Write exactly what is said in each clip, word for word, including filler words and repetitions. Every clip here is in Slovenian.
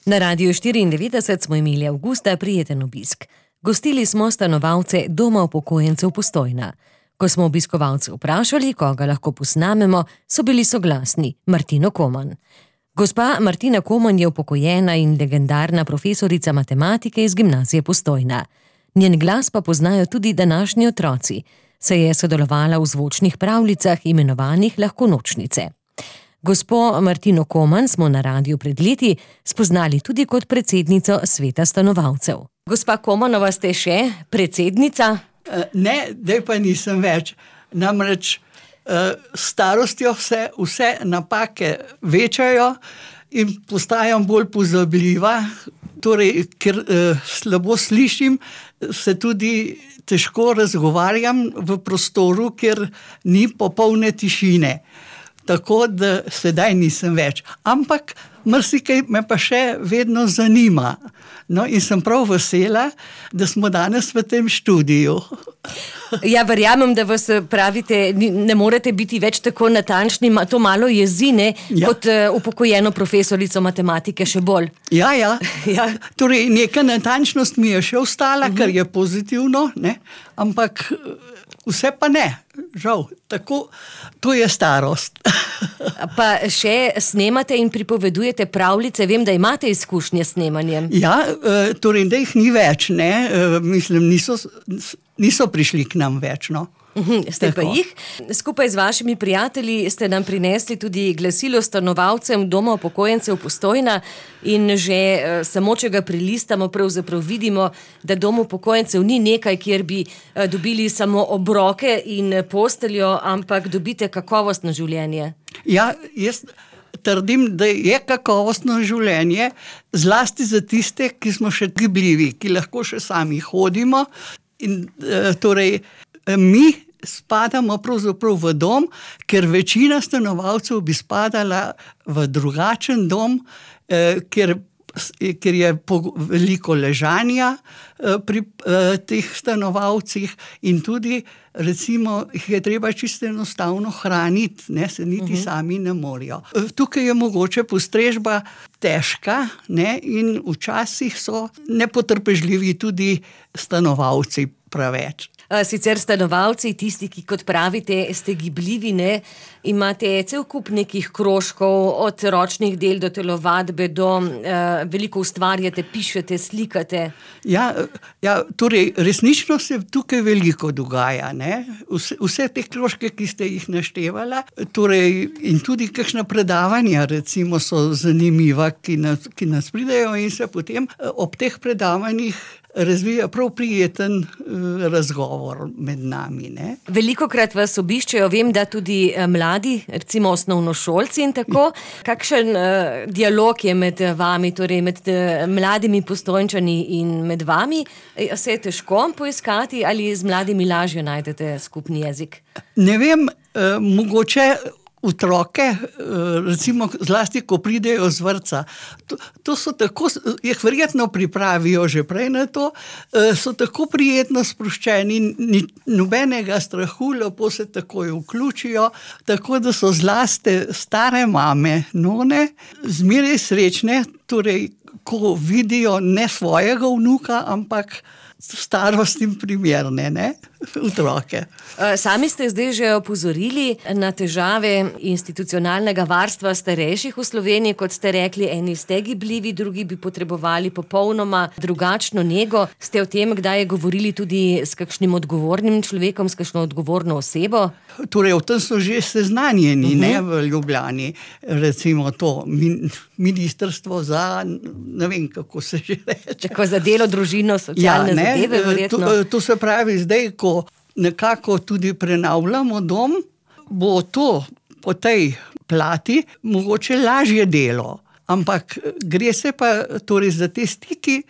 Na Radiu štiriindevetdeset smo imeli avgusta prijeten obisk. Gostili smo stanovalce Doma upokojencev Postojna. Ko smo obiskovalce vprašali, koga lahko posnamemo, so bili soglasni: Martino Koman. Gospa Martina Koman je upokojena in legendarna profesorica matematike iz Gimnazije Postojna. Njen glas pa poznajo tudi današnji otroci, saj je sodelovala v zvočnih pravljicah imenovanih Lahko nočnice. Gospo Martino Koman smo na radiu pred leti spoznali tudi kot predsednico sveta stanovalcev. Gospa Komanova, ste še predsednica? Ne, zdaj pa nisem več. Namreč s starostjo se vse napake večajo in postajam bolj pozabljiva. Torej, ker slabo slišim, se tudi težko razgovarjam v prostoru, ker ni popolne tišine. Tako da sedaj nisem več. Ampak marsikaj me pa še vedno zanima. No, in sem prav vesela, da smo danes v tem študiju. Ja, verjamem, da vas, pravite, ne morete biti več tako natančni, to malo jezi, ne, ja. Kot uh, upokojeno profesorico matematike še bolj. Ja, ja. ja. Torej, neka natančnost mi je še ostala, uh-huh. Kar je pozitivno, ne, ampak vse pa ne, žal, tako, to je starost. Pa še snemate in pripovedujete pravljice, vem, da imate izkušnje s snemanjem. Ja, torej, da jih ni več, ne, mislim, niso, niso prišli k nam več, no. Ste pa jih. Skupaj z vašimi prijatelji ste nam prinesli tudi glasilo stanovalcem Doma upokojencev Postojna in že eh, samo, če ga prilistamo, pravzaprav vidimo, da Dom upokojencev ni nekaj, kjer bi eh, dobili samo obroke in posteljo, ampak dobite kakovostno življenje. Ja, jaz trdim, da je kakovostno življenje, zlasti za tiste, ki smo še gibljivi, ki lahko še sami hodimo in eh, torej mi spadamo pravzaprav v dom, ker večina stanovalcev bi spadala v drugačen dom, eh, ker, ker je veliko ležanja eh, pri eh, teh stanovalcih in tudi, recimo, jih je treba čisto enostavno hraniti, ne, se niti uh-huh. sami ne morejo. Tukaj je mogoče postrežba težka, ne, in včasih so nepotrpežljivi tudi stanovalci preveč. Sicer stanovalci, tisti, ki, kot pravite, ste gibljivi, ne, imate cel kup nekih krožkov, od ročnih del do telovadbe, do uh, veliko ustvarjate, pišete, slikate. Ja, ja, torej, resnično se tukaj veliko dogaja, ne. Vse, vse te krožke, ki ste jih naštevala, torej, in tudi kakšna predavanja, recimo, so zanimiva, ki nas, ki nas pridejo in se potem ob teh predavanjih razvija prav prijeten uh, razgovor med nami, ne. Velikokrat vas obiščejo, vem, da tudi mladi, recimo osnovnošolci in tako. Kakšen uh, dialog je med vami, torej med uh, mladimi Postojnčani in med vami? Se je težko poiskati ali z mladimi lažje najdete skupni jezik? Ne vem, uh, mogoče otroke, recimo zlasti, ko pridejo z vrtca, to, to so tako, jih verjetno pripravijo že prej na to, so tako prijetno sproščeni, ni nobenega strahu, lepo se takoj vključijo, tako da so zlasti stare mame, none, zmeraj srečne, torej, ko vidijo ne svojega vnuka, ampak starostnim primerne, ne, otroke. Sami ste zdaj že opozorili na težave institucionalnega varstva starejših v Sloveniji, kot ste rekli, eni ste gibljivi, drugi bi potrebovali popolnoma drugačno nego. Ste o tem kdaj govorili tudi s kakšnim odgovornim človekom, s kakšno odgovorno osebo? Torej, o tem so že seznanjeni, uh-huh. ne, v Ljubljani, recimo to ministrstvo za, ne vem, kako se že reče. Tako za delo, družino, socialne ja, zadeve, verjetno. To, to se pravi, zdaj, ko nekako tudi prenavljamo dom, bo to po tej plati mogoče lažje delo. Ampak gre se pa torej za te stiki,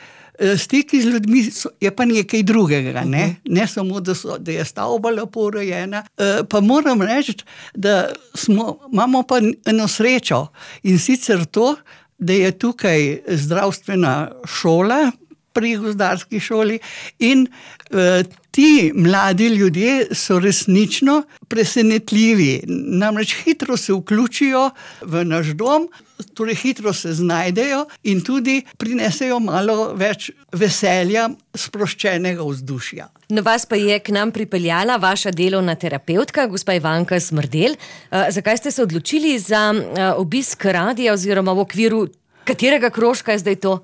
stiki z ljudmi so, je pa nekaj drugega, ne, ne samo, da, so, da je stavba lepo urejena. Pa moram reči, da smo, imamo pa eno srečo in sicer to, da je tukaj zdravstvena šola pri gozdarski šoli in uh, ti mladi ljudje so resnično presenetljivi. Namreč hitro se vključijo v naš dom, torej hitro se znajdejo in tudi prinesejo malo več veselja, sproščenega vzdušja. Na vas pa je k nam pripeljala vaša delovna terapevtka, gospa Ivanka Smrdelj. Uh, zakaj ste se odločili za uh, obisk radia oziroma v okviru katerega krožka je zdaj to?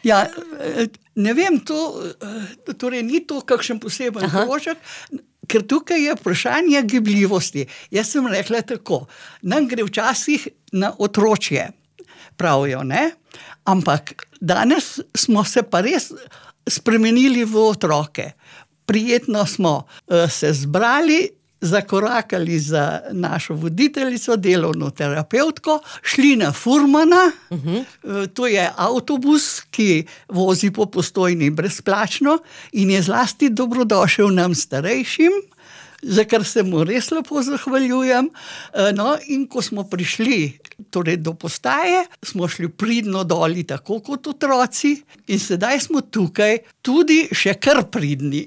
Ja, ne vem, to, torej ni to kakšen poseben Aha. krožek, ker tukaj je vprašanje gibljivosti. Jaz sem rekla tako, nam gre včasih na otročje, pravijo, ne? Ampak danes smo se pa res spremenili v otroke. Prijetno smo uh, se zbrali, zakorakali za našo voditeljico, delovno terapevtko, šli na Furmana, uh-huh. to je avtobus, ki vozi po Postojni brezplačno in je zlasti dobrodošel nam starejšim, za kar se mu res lepo zahvaljujem. No, in ko smo prišli torej do postaje, smo šli pridno doli, tako kot otroci, in sedaj smo tukaj tudi še kar pridni.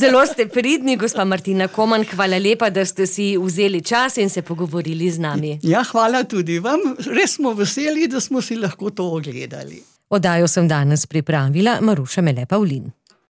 Zelo ste pridni, gospa Martina Koman, hvala lepa, da ste si vzeli čas in se pogovorili z nami. Ja, hvala tudi vam, res smo veseli, da smo si lahko to ogledali. Oddajo sem danes pripravila Maruša Mele Pavlin.